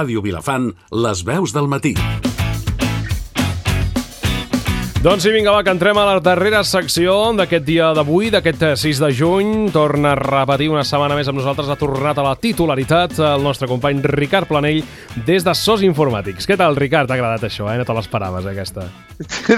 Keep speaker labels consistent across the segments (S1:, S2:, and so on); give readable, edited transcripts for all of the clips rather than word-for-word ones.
S1: Ràdio Vilafant, les veus del matí.
S2: Doncs sí, vinga, va, que entrem a la darrera secció d'aquest dia d'avui, d'aquest 6 de juny. Torna a repetir una setmana més amb nosaltres, ha tornat a la titularitat el nostre company Ricard Planell des de SOS Informàtics. Què tal, Ricard? T'ha agradat això, No te l'esperaves, aquesta?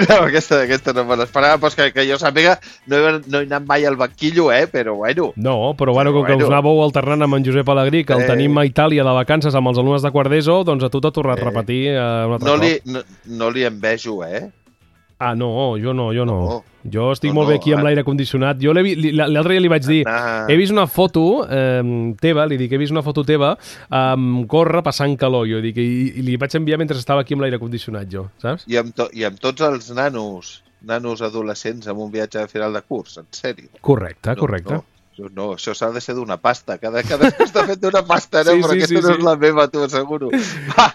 S3: No, aquesta no me l'esperava, però que jo sàpiga, no he anat mai al banquillo, però bueno.
S2: No, però bueno, com que us anàveu alternant amb en Josep Alegrí, que el tenim a Itàlia de vacances amb els alumnes de quart d'ESO, doncs a tu t'ha tornat a repetir un altre cop.
S3: No li envejo,
S2: Ah, no, jo no. Jo estic molt bé aquí amb l'aire condicionat. Jo l'altre dia li vaig dir, he vist una foto teva, li dic, he vist una foto teva córrer passant calor, jo dic, i li vaig enviar mentre estava aquí amb l'aire condicionat, jo, saps?
S3: I amb tots els nanos adolescents amb un viatge de final de curs, en sèrio.
S2: Correcte.
S3: No, això s'ha de ser d'una pasta. Cada està fet d'una pasta, no? Però aquesta no és la meva, t'ho asseguro.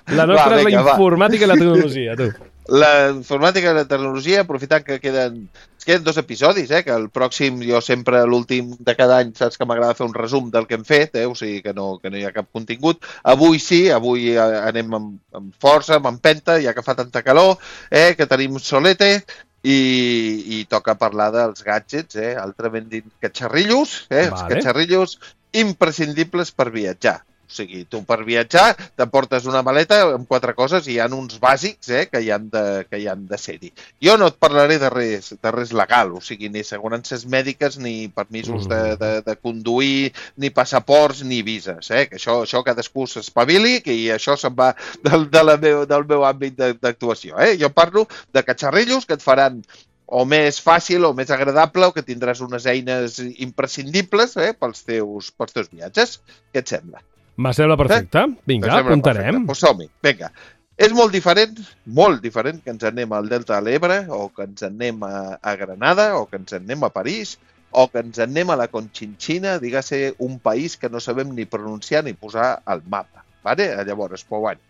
S2: La nostra és la informàtica i la tecnologia, tu.
S3: La informàtica i la tecnologia, aprofitant que queden 2 episodis, que el pròxim, jo sempre l'últim de cada any, saps que m'agrada fer un resum del que hem fet, o sigui que no hi ha cap contingut. Avui sí, avui anem amb força, amb empenta, ja que fa tanta calor, que tenim solete, i toca parlar dels gadgets, altrament dit catxarrillos, els catxarrillos imprescindibles per viatjar. O sigui, tu per viatjar t'emportes una maleta amb 4 coses i hi ha uns bàsics que hi han de ser-hi. Jo no et parlaré de res legal, o sigui, ni assegurances mèdiques, ni permisos de conduir, ni passaports, ni vises. Que això cadascú s'espavili, que això se'n va del meu àmbit d'actuació. Jo parlo de catxarrillos que et faran o més fàcil o més agradable, o que tindràs unes eines imprescindibles pels teus viatges. Què et sembla?
S2: Me sembla perfecte. Vinga, apuntarem.
S3: Doncs som-hi, vinga. És molt diferent que ens anem al Delta de l'Ebre, o que ens anem a Granada, o que ens anem a París, o que ens anem a la Conchinchina, diguem-ne un país que no sabem ni pronunciar ni posar al mapa. Llavors, però bueno.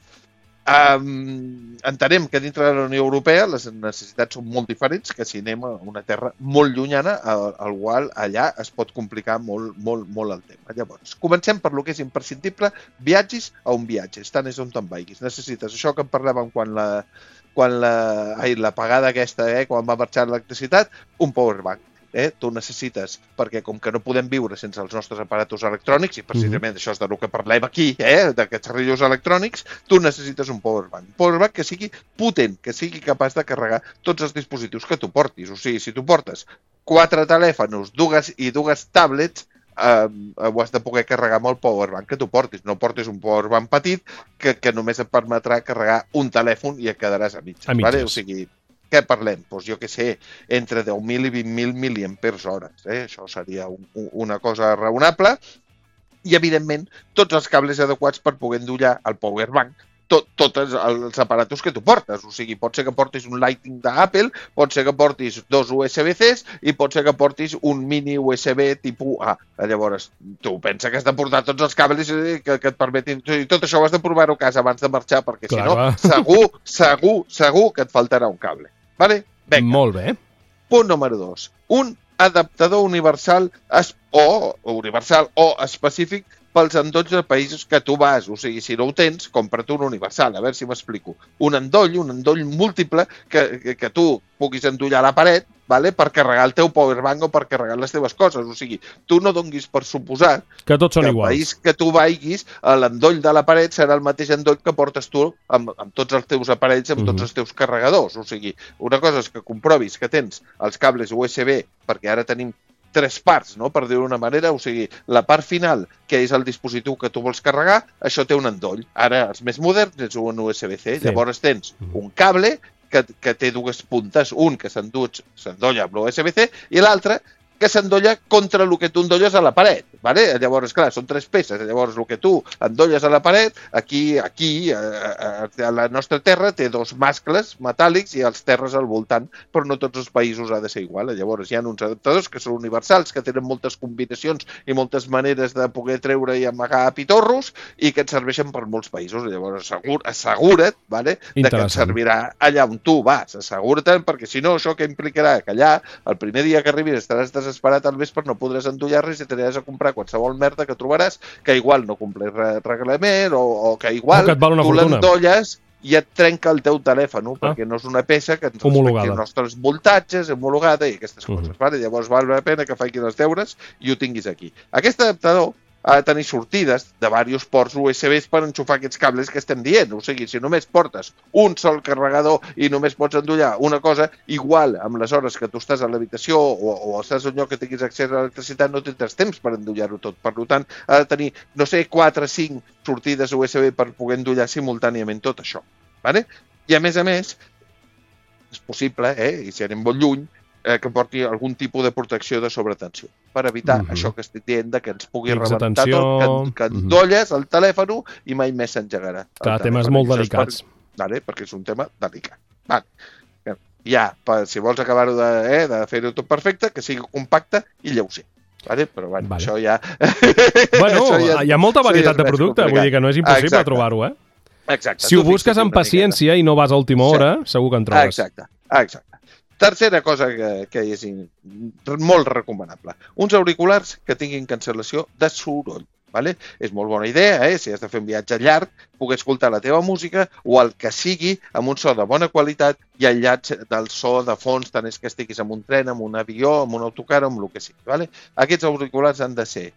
S3: Entenem que dintre de la Unió Europea les necessitats són molt diferents que si anem a una terra molt llunyana al qual allà es pot complicar molt el tema. Llavors, comencem per lo que és imprescindible, viatgis a un viatge, estan és on te'n vagis. Necessites això que en parlàvem quan l'apagada aquesta, quan va marxar l'electricitat, un powerbank. Tu necessites, perquè com que no podem viure sense els nostres aparatos electrònics, i precisament això és del que parlem aquí, de catxarrillos electrònics, tu necessites un powerbank. Un powerbank que sigui potent, que sigui capaç de carregar tots els dispositius que tu portis. O sigui, si tu portes 4 telèfons i 2 tablets, ho has de poder carregar amb el powerbank que tu portis. No portis un powerbank petit que només et permetrà carregar un telèfon i et quedaràs a mitges. O sigui, què parlem? Doncs jo què sé, entre 10.000 i 20.000 miliampers hores. Això seria una cosa raonable. I, evidentment, tots els cables adequats per poder endollar el powerbank tots els aparatos que tu portes. O sigui, pot ser que portis un Lightning d'Apple, pot ser que portis 2 USB-Cs i pot ser que portis un mini USB tipus A. Llavors, tu pensa que has de portar tots els cables que et permetin... Tot això ho has de provar-ho a casa abans de marxar, perquè si no, segur que et faltarà un cable. Vale? Vinga.
S2: Molt bé.
S3: Punt número 2. Un adaptador universal o específic pels endolls de països que tu vas. O sigui, si no ho tens, compra't un universal. A veure si m'explico. Un endoll múltiple que tu puguis endollar a la paret, per carregar el teu powerbank o per carregar les teves coses. O sigui, tu no donguis per suposar
S2: que tots són iguals.
S3: El país que tu vagis, l'endoll de la paret serà el mateix endoll que portes tu amb tots els teus aparells, amb tots els teus carregadors. O sigui, una cosa és que comprovis que tens els cables USB, perquè ara tenim 3 parts, per dir-ho d'una manera. O sigui, la part final, que és el dispositiu que tu vols carregar, això té un endoll. Ara, els més moderns, és un USB-C. Llavors tens un cable que té 2 puntes, un que s'endolla amb l'USB-C i l'altre que s'endolla contra el que tu endolles a la paret. Llavors, clar, són 3 peces. Llavors, el que tu endolles a la paret, aquí, a la nostra terra, té 2 mascles metàl·lics i els terres al voltant, però no tots els països ha de ser igual. Llavors, hi ha uns adaptadors que són universals, que tenen moltes combinacions i moltes maneres de poder treure i amagar pitorros i que et serveixen per molts països. Llavors, assegura't de que et servirà allà on tu vas. Assegura't, perquè si no, això que implicarà que allà, el primer dia que arribis, estaràs desesperat al vespre no podràs endollar res i t'aniràs a comprar qualsevol merda que trobaràs, que igual no compleix reglament o que igual
S2: que et val una
S3: tu
S2: fortuna.
S3: l'endolles i et trenca el teu telèfon, perquè no és una peça que ens respecti els nostres voltatges, homologada i aquestes coses. Vale? Llavors val la pena que facis els deures i ho tinguis aquí. Aquest adaptador ha de tenir sortides de diversos ports USB per enxufar aquests cables que estem dient. O sigui, si només portes un sol carregador i només pots endollar una cosa, igual amb les hores que tu estàs a l'habitació o estàs a un lloc que tinguis accés a l'electricitat no tindràs temps per endollar-ho tot. Per tant, ha de tenir, no sé, 4 o 5 sortides USB per poder endollar simultàniament tot això. Vale? I a més, és possible, i si anem molt lluny, que porti algun tipus de protecció de sobretensió per evitar això que estic dient que ens pugui rebentar tot, que endolles el telèfon i mai més s'engegarà.
S2: Clar, temes molt delicats.
S3: Vale? Perquè és un tema delicat. Vale. Ja, si vols acabar-ho de fer-ho tot perfecte, que sigui compacte i lleuger. Vale? Però bueno, això ja...
S2: Bueno, hi ha molta varietat de producte, vull dir que no és impossible trobar-ho,
S3: Exacte.
S2: Si ho busques amb paciència i no vas a última hora, segur que en trobes.
S3: Exacte. Tercera cosa que és molt recomanable. Uns auriculars que tinguin cancel·lació de soroll. Vale? És molt bona idea, si has de fer un viatge llarg, poder escoltar la teva música o el que sigui amb un so de bona qualitat i aïllats del so de fons, tant és que estiguis en un tren, en un avió, en un autocar o amb el que sigui. Vale? Aquests auriculars han de ser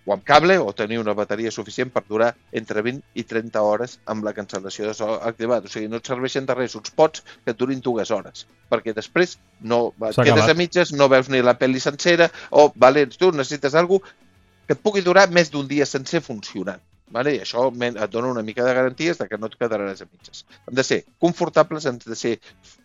S3: o amb cable o tenir una bateria suficient per durar entre 20 i 30 hores amb la cancel·lació de so activat. O sigui, no et serveixen de res uns pots que et durin 2 hores, perquè després quedes a mitges, no veus ni la pel·li sencera o, tu necessites alguna cosa que et pugui durar més d'un dia sencer funcionant. Vale? I això et dona una mica de garanties que no et quedaràs a mitges. Han de ser confortables, han de ser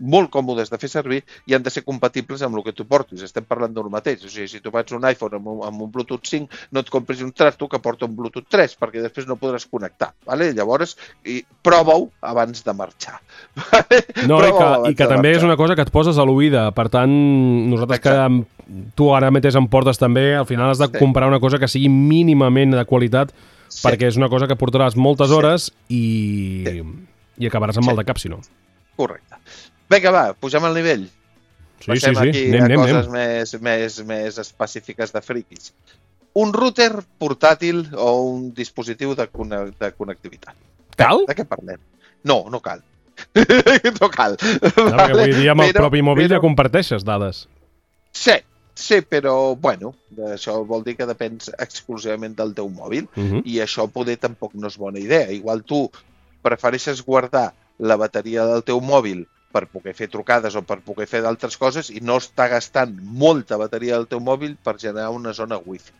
S3: molt còmodes de fer servir i han de ser compatibles amb el que tu portis. Estem parlant del mateix. O sigui, si tu fas un iPhone amb un Bluetooth 5, no et compris un trasto que porta un Bluetooth 3, perquè després no podràs connectar. Vale? Llavors, prova-ho abans de marxar. Vale?
S2: No, i que també és una cosa que et poses a l'oïda. Per tant, nosaltres que tu ara mateix em portes també, al final has de comprar una cosa que sigui mínimament de qualitat, perquè és una cosa que portaràs moltes hores i acabaràs amb mal de cap, si no.
S3: Correcte. Vinga, va, pugem al nivell. Passem aquí a coses més específiques de friquis. Un router portàtil o un dispositiu de connectivitat.
S2: Cal?
S3: De què parlem? No cal. No cal.
S2: Vull dir, amb el propi mòbil ja comparteixes dades.
S3: Sí, però, bueno, això vol dir que depens exclusivament del teu mòbil i això poder tampoc no és bona idea. Igual tu prefereixes guardar la bateria del teu mòbil per poder fer trucades o per poder fer d'altres coses i no està gastant molta bateria del teu mòbil per generar una zona wifi.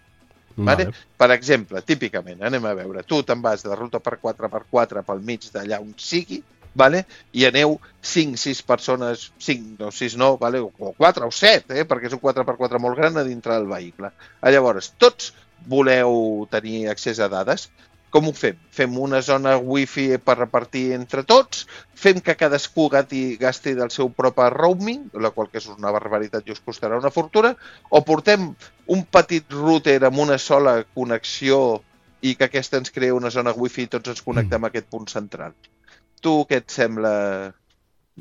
S3: Vale? Per exemple, típicament, anem a veure, tu te'n vas de ruta per 4x4 pel mig d'allà on sigui, vale? I aneu 5-6 persones, 5 o 6 no, vale? O 4 o 7, perquè és un 4x4 molt gran a dintre del vehicle. Llavors, tots voleu tenir accés a dades. Com ho fem? Fem una zona wifi per repartir entre tots, fem que cadascú gasti del seu propi roaming, la qual que és una barbaritat i us costarà una fortuna, o portem un petit router amb una sola connexió i que aquesta ens crea una zona wifi i tots ens connectem a aquest punt central. Tu què et sembla?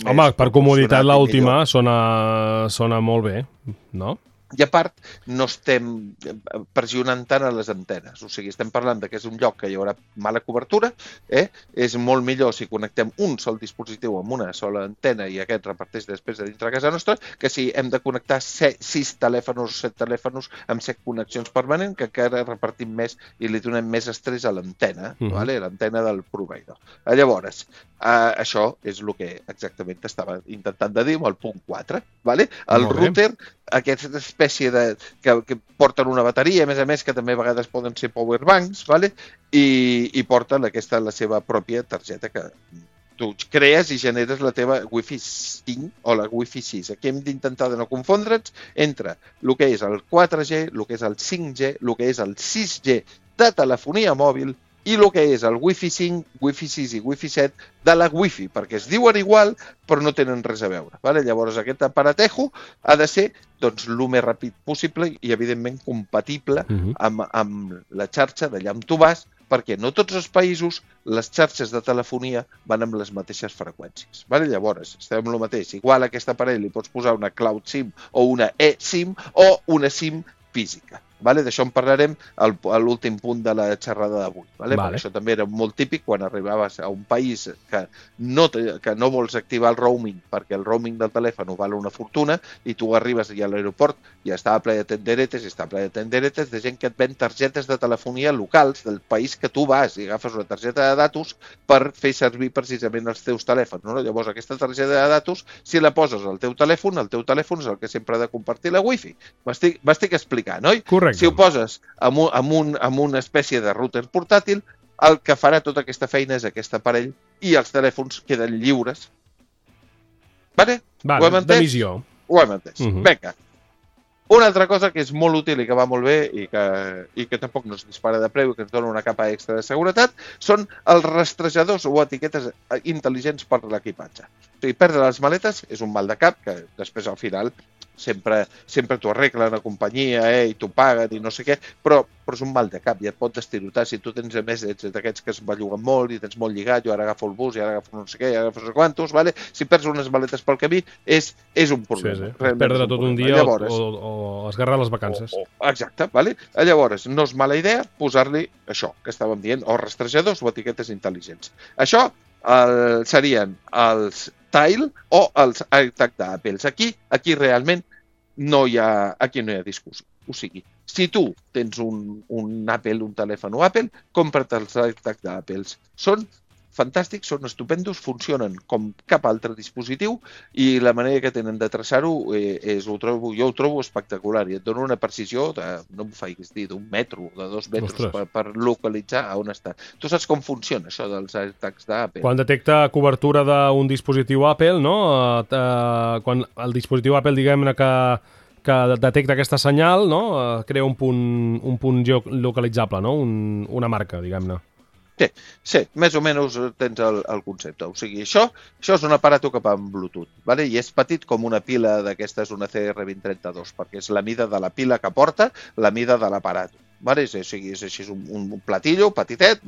S2: Home, per comoditat l'última sona molt bé, no?
S3: I a part, no estem pressionant tant a les antenes. O sigui, estem parlant que és un lloc que hi haurà mala cobertura. És molt millor si connectem un sol dispositiu amb una sola antena i aquest reparteix després de dintre de casa nostra, que si hem de connectar 6 telèfons o 7 telèfons amb 7 connexions permanents, que encara repartim més i li donem més estrès a l'antena, l'antena del proveïdor. Llavors, això és el que exactament t'estava intentant de dir amb el punt 4. El router, aquesta espècie que porten una bateria, a més que també a vegades poden ser powerbanks, i porten la seva pròpia targeta que tu crees i generes la teva Wi-Fi 5 o la Wi-Fi 6. Aquí hem d'intentar de no confondre'ns entre el que és el 4G, el que és el 5G, el que és el 6G de telefonia mòbil i el que és el Wi-Fi 5, Wi-Fi 6 i Wi-Fi 7 de la Wi-Fi, perquè es diuen igual però no tenen res a veure. Llavors aquest aparatejo ha de ser el més ràpid possible i evidentment compatible amb la xarxa d'allà on tu vas perquè no tots els països les xarxes de telefonia van amb les mateixes freqüències. Vale? Llavors, estem amb el mateix. Igual a aquest aparell li pots posar una Cloud SIM o una eSIM o una SIM física. Vale? D'això en parlarem a l'últim punt de la xerrada d'avui. Vale? Perquè això també era molt típic quan arribaves a un país que no vols activar el roaming perquè el roaming del telèfon val una fortuna i tu arribes a l'aeroport i estava ple de tenderetes de gent que et ven targetes de telefonia locals del país que tu vas i agafes una targeta de datos per fer servir precisament els teus telèfons. No? Llavors aquesta targeta de datos, si la poses al teu telèfon és el que sempre ha de compartir la wifi. M'estic explicant, oi?
S2: Correcte.
S3: Si ho poses amb una espècie de router portàtil, el que farà tota aquesta feina és aquest aparell i els telèfons queden lliures. Vale? Ho hem entès?
S2: D'emissió.
S3: Ho hem entès. Vinga. Una altra cosa que és molt útil i que va molt bé i que tampoc no es dispara de preu i que ens dona una capa extra de seguretat són els rastrejadors o etiquetes intel·ligents per l'equipatge. O sigui, perdre les maletes és un mal de cap que després al final sempre t'ho arreglen a companyia i t'ho paguen i no sé què, però és un mal de cap i et pot estirotar. Si tu tens, a més, ets d'aquests que es belluguen molt i tens molt lligat, jo ara agafo el bus i ara agafo no sé què, i ara agafo no sé quantos, vale? Si perds unes maletes pel camí és un problema.
S2: Sí. Perdre tot un dia o esgarrar les vacances.
S3: Exacte, vale? Llavors, no és mala idea posar-li això que estàvem dient, o rastrejadors o etiquetes intel·ligents. Això serien els Tile o els AirTag d'Apple. Aquí realment no hi ha discussió. O sigui, si tu tens un Apple, un telèfon Apple, compra't els AirTag d'Apple. Són fantàstics, són estupendos, funcionen com cap altre dispositiu i la manera que tenen de traçar-ho jo ho trobo espectacular i et dona una precisió no em facis dir, d'un metro, de 2 metres per localitzar on està. Tu saps com funciona això dels AirTags d'Apple?
S2: Quan detecta cobertura d'un dispositiu Apple, no? Quan el dispositiu Apple, diguem-ne que detecta aquesta senyal, no? Crea un punt geolocalitzable, no? Una marca, diguem-ne.
S3: Sí, més o menys tens el concepte. O sigui, això és un aparato que va amb Bluetooth, vale? I és petit com una pila d'aquestes, una CR2032, perquè és la mida de la pila que porta, la mida de l'aparato. Vale? És així un platillo petitet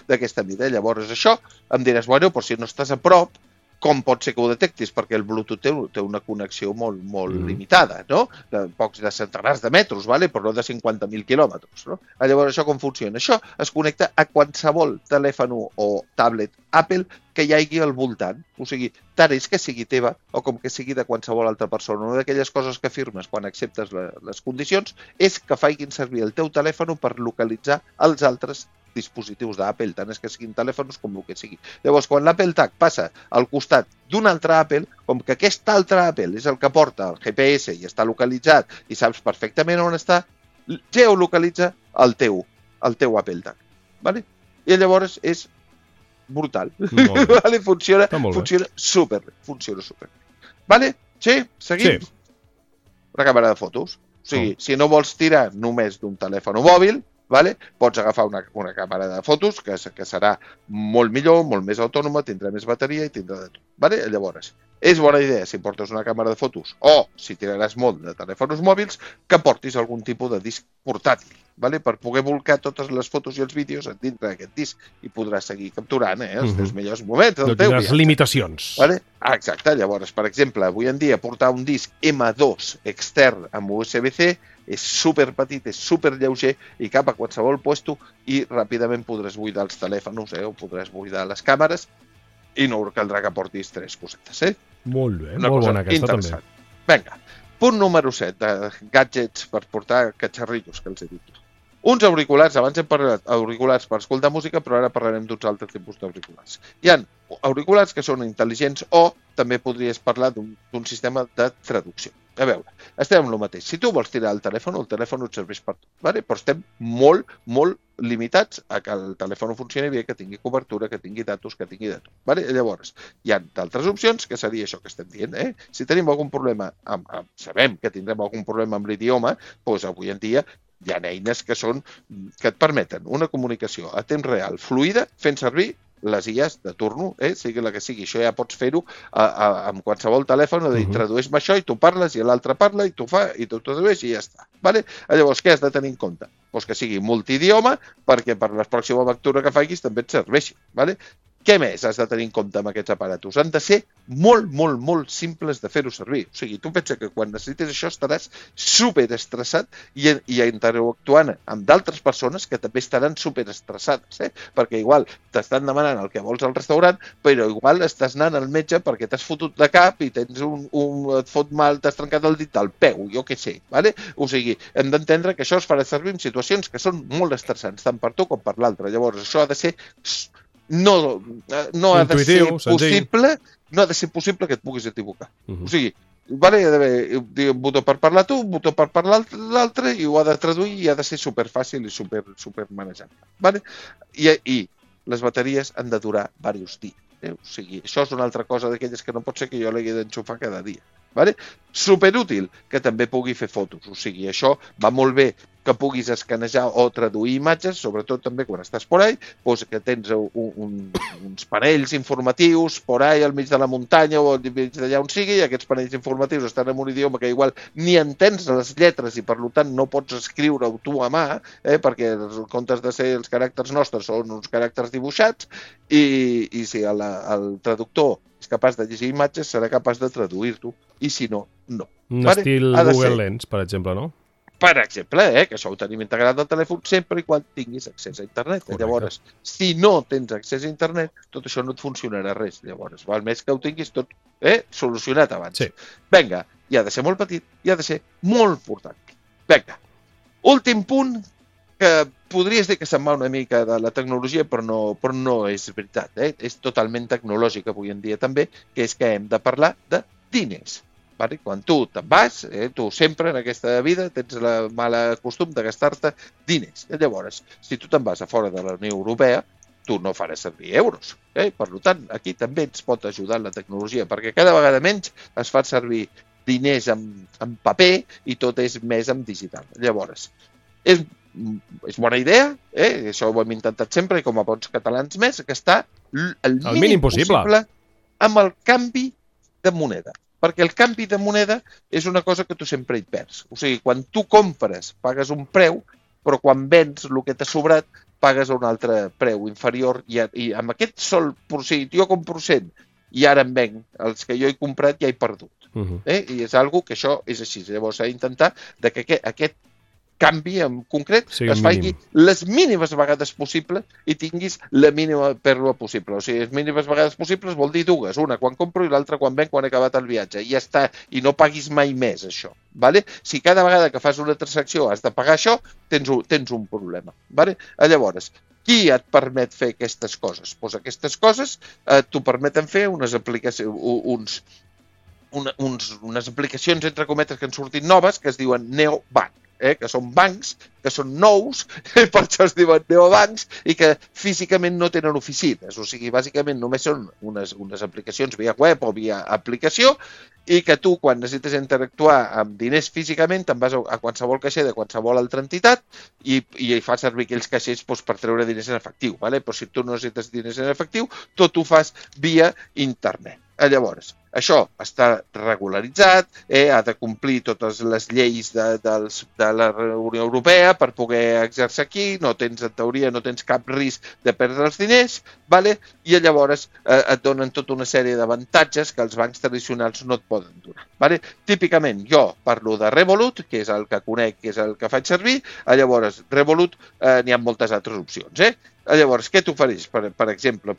S3: d'aquesta mida. Llavors això em diràs, bueno, però si no estàs a prop, com pot ser que ho detectis? Perquè el Bluetooth té una connexió molt limitada, no? De centenars de metres, vale? Però no de 50.000 quilòmetres. No? Llavors, això com funciona? Això es connecta a qualsevol telèfon o tablet Apple que hi hagi al voltant. O sigui, tant és que sigui teva o com que sigui de qualsevol altra persona. Una d'aquelles coses que firmes quan acceptes les condicions és que facin servir el teu telèfon per localitzar els altres dispositius d'Apple, tant és que siguin telèfons com el que sigui. Llavors, quan l'Apple Tag passa al costat d'un altre Apple, com que aquest altre Apple és el que porta el GPS i està localitzat i saps perfectament on està, geolocalitza el teu Apple Tag. Vale? I llavors és brutal. Vale? Funciona superbé. Vale? Sí? Seguim? Sí. Una càmera de fotos. O sigui, si no vols tirar només d'un telèfon mòbil, vale? Pots agafar una càmera de fotos que serà molt millor, molt més autònoma, tindrà més bateria i tindrà de tot. Vale? Llavors, és bona idea si portes una càmera de fotos o si tiraràs molt de telèfons mòbils que portis algun tipus de disc portàtil, vale? Per poder volcar totes les fotos i els vídeos dintre d'aquest disc i podràs seguir capturant els teus millors moments del teu viatge.
S2: Les limitacions.
S3: Vale? Exacte. Llavors, per exemple, avui en dia portar un disc M2 extern amb USB-C és superpetit, és superlleuger i cap a qualsevol puesto i ràpidament podràs buidar els telèfons o podràs buidar les càmeres i no caldrà que portis 3 cosetes.
S2: Molt bé, molt bona aquesta també.
S3: Vinga, punt número 7 de gadgets per portar catxarrillos, que els he dit. Uns auriculars, abans hem parlat auriculars per escoltar música, però ara parlarem d'uns altres tipus d'auriculars. Hi ha auriculars que són intel·ligents o també podries parlar d'un sistema de traducció. A veure, estem amb el mateix. Si tu vols tirar el telèfon et serveix per tot. Vale? Però estem molt limitats a que el telèfon funcioni bé, que tingui cobertura, que tingui datos, que tingui de tot. Vale? Llavors, hi ha d'altres opcions, que seria això que estem dient. Si tenim algun problema, sabem que tindrem algun problema amb l'idioma, doncs avui en dia hi ha eines que et permeten una comunicació a temps real fluida fent servir les IAs de turno, sigui la que sigui. Això ja pots fer-ho amb qualsevol telèfon, de dir, tradueix-me això i tu parles i l'altre parla i tu fa i tu tradueix i ja està. Vale? Llavors, què has de tenir en compte? Pues que sigui multidioma perquè per la pròxima lectura que facis també et serveixi. Vale? Què més has de tenir en compte amb aquests aparatos? Han de ser molt, molt, molt simples de fer-ho servir. O sigui, tu pensa que quan necessites això estaràs superestressat i interactuant amb d'altres persones que també estaran superestressades, perquè igual t'estan demanant el que vols al restaurant, però igual estàs anant al metge perquè t'has fotut de cap i tens et fot mal, t'has trencat el dit al peu, jo què sé. Vale? O sigui, hem d'entendre que això es farà servir en situacions que són molt estressants, tant per tu com per l'altre. Llavors, això ha de ser... No ha de ser possible, no ha de ser possible que et puguis equivocar. O sigui, vale, hi ha d'haver un botó per parlar tu, un botó per parlar l'altre, i ho ha de traduir i ha de ser superfàcil i super manejable. Vale? I les bateries han de durar diversos dies. O sigui, això és una altra cosa d'aquelles que no pot ser que jo l'hagi d'enxufar cada dia. Vale? Superútil que també pugui fer fotos. O sigui, això va molt bé que puguis escanejar o traduir imatges, sobretot també quan estàs por ahí, doncs que tens uns panells informatius por ahí al mig de la muntanya o al mig d'allà on sigui, i aquests panells informatius estan en un idioma que igual ni entens les lletres i per tant no pots escriure-ho tu a mà, perquè en comptes de ser els caràcters nostres són uns caràcters dibuixats, i si el traductor és capaç de llegir imatges serà capaç de traduir-ho, i si no, no.
S2: Un estil Google Lens, per exemple, no?
S3: Per exemple, que això ho tenim integrat al telèfon sempre i quan tinguis accés a internet. Correcte. Llavors, si no tens accés a internet, tot això no et funcionarà res. Llavors, val més que ho tinguis tot solucionat abans.
S2: Sí.
S3: Vinga, i ha de ser molt petit i ha de ser molt portàtil. Vinga, últim punt, que podries dir que se'n va una mica de la tecnologia, però no és veritat. És totalment tecnològic avui en dia també, que és que hem de parlar de diners. Vale? Quan tu te'n vas, tu sempre en aquesta vida tens la mala costum de gastar-te diners. Llavors, si tu te'n vas a fora de la Unió Europea, tu no faràs servir euros. Per tant, aquí també ens pot ajudar la tecnologia, perquè cada vegada menys es fa servir diners en paper i tot és més en digital. Llavors, és bona idea, això ho hem intentat sempre i com a bons catalans més, que està el mínim possible amb el canvi de moneda. Perquè el canvi de moneda és una cosa que tu sempre hi perds. O sigui, quan tu compres, pagues un preu, però quan vens el que t'ha sobrat, pagues un altre preu inferior. I amb aquest sol procent, jo compro 100 i ara em venc els que jo he comprat ja he perdut. I és una que això és així. Llavors s'ha d'intentar que aquest canvi en concret es faci les mínimes vegades possibles i tinguis la mínima pèrdua possible. O sigui, les mínimes vegades possibles vol dir dues. Una quan compro i l'altra quan venc, quan he acabat el viatge. I ja està. I no paguis mai més això. Vale? Si cada vegada que fas una transacció has de pagar això, tens un problema. Vale? Llavors, qui et permet fer aquestes coses? Doncs aquestes coses t'ho permeten fer unes aplicacions, unes aplicacions entre cometes que han sortit noves que es diuen neobank. Que són bancs, que són nous, per això es diuen neobancs, i que físicament no tenen oficines. O sigui, bàsicament només són unes aplicacions via web o via aplicació, i que tu, quan necessites interactuar amb diners físicament, te'n vas a qualsevol caixer de qualsevol altra entitat i fas servir aquells caixers per treure diners en efectiu. Però si tu no necessites diners en efectiu, tot ho fas via internet. Llavors, això està regularitzat, ha de complir totes les lleis de la Unió Europea per poder exercir aquí, en teoria no tens cap risc de perdre els diners, i llavors et donen tota una sèrie d'avantatges que els bancs tradicionals no et poden donar. Típicament jo parlo de Revolut, que és el que conec, que és el que faig servir, llavors Revolut n'hi ha moltes altres opcions. Llavors, què t'ofereix? Per exemple,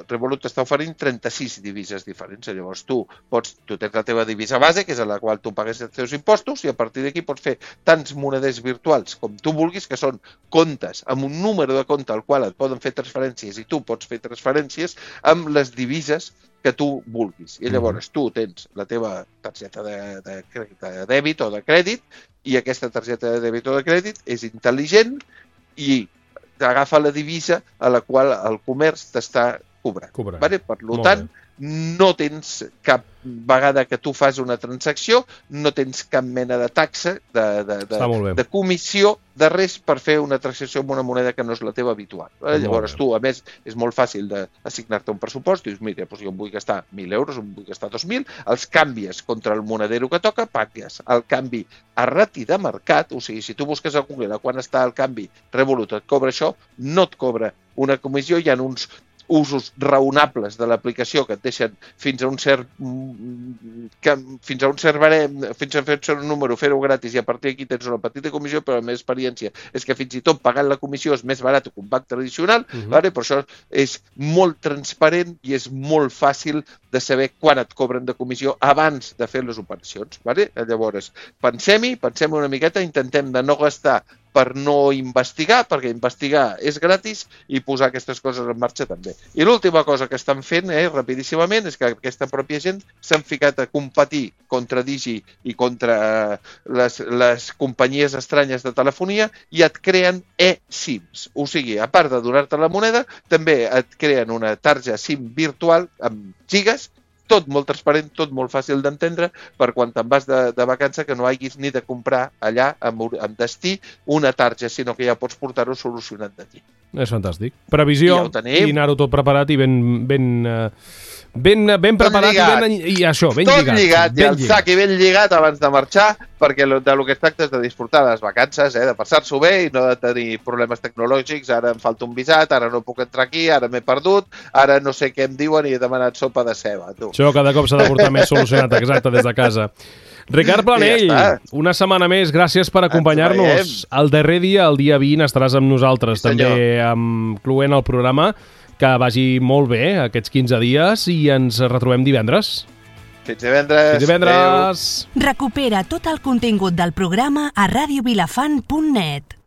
S3: Revolut t'està oferint 36 divises diferents. Llavors, tu tens la teva divisa base, que és a la qual tu pagues els teus impostos, i a partir d'aquí pots fer tants moneders virtuals com tu vulguis, que són comptes amb un número de compte al qual et poden fer transferències, i tu pots fer transferències amb les divises que tu vulguis. I llavors tu tens la teva targeta de dèbit o de crèdit, i aquesta targeta de dèbit o de crèdit és intel·ligent i agafa la divisa a la qual el comerç t'està cobrant.
S2: Cobrant.
S3: Vale? Per tant, no tens cap vegada que tu fas una transacció, no tens cap mena de taxa, de comissió, de res per fer una transacció amb una moneda que no és la teva habitual. Llavors tu, a més, és molt fàcil d'assignar-te un pressupost, dius, mira, doncs jo em vull gastar 1.000 euros, em vull gastar 2.000, els canvies contra el monedero que toca, pagues el canvi a rati de mercat, o sigui, si tu busques a Google a quan està el canvi Revolut et cobra això, no et cobra una comissió, hi ha uns usos raonables de l'aplicació que et deixen fins a un cert barem, fins a fer un número, fer-ho gratis i a partir d'aquí tens una petita comissió, però la meva experiència és que fins i tot pagant la comissió és més barat que un banc tradicional, vale? Per això és molt transparent i és molt fàcil de saber quan et cobren de comissió abans de fer les operacions. Vale? Llavors, pensem-hi una miqueta, intentem de no gastar per no investigar, perquè investigar és gratis i posar aquestes coses en marxa també. I l'última cosa que estan fent, rapidíssimament, és que aquesta pròpia gent s'han ficat a competir contra Digi i contra les companyies estranyes de telefonia i et creen eSIMs. O sigui, a part de donar-te la moneda, també et creen una tarja SIM virtual amb gigas, tot molt transparent, tot molt fàcil d'entendre, per quan te'n vas de vacança que no hagis ni de comprar allà amb destí una tarja, sinó que ja pots portar-ho solucionat d'aquí.
S2: És fantàstic. Previsió i anar-ho tot preparat i ben preparat i això, ben lligat.
S3: Tot lligat, i el sac i ben lligat abans de marxar, perquè del que es tracta és de disfrutar les vacances, de passar-s'ho bé i no de tenir problemes tecnològics, ara em falta un visat, ara no puc entrar aquí, ara m'he perdut, ara no sé què em diuen i he demanat sopa de ceba. Tu.
S2: Això cada cop s'ha de portar més solucionat, exacte, des de casa. Ricard Planell, una setmana més, gràcies per acompanyar-nos. El darrer dia, el dia 20, estaràs amb nosaltres, també incloent el programa. Que vagi molt bé aquests 15 dies i ens retrobem divendres.
S3: Fins divendres.
S2: Fins divendres.
S4: Recupera tot el contingut del programa a radiovilafant.net.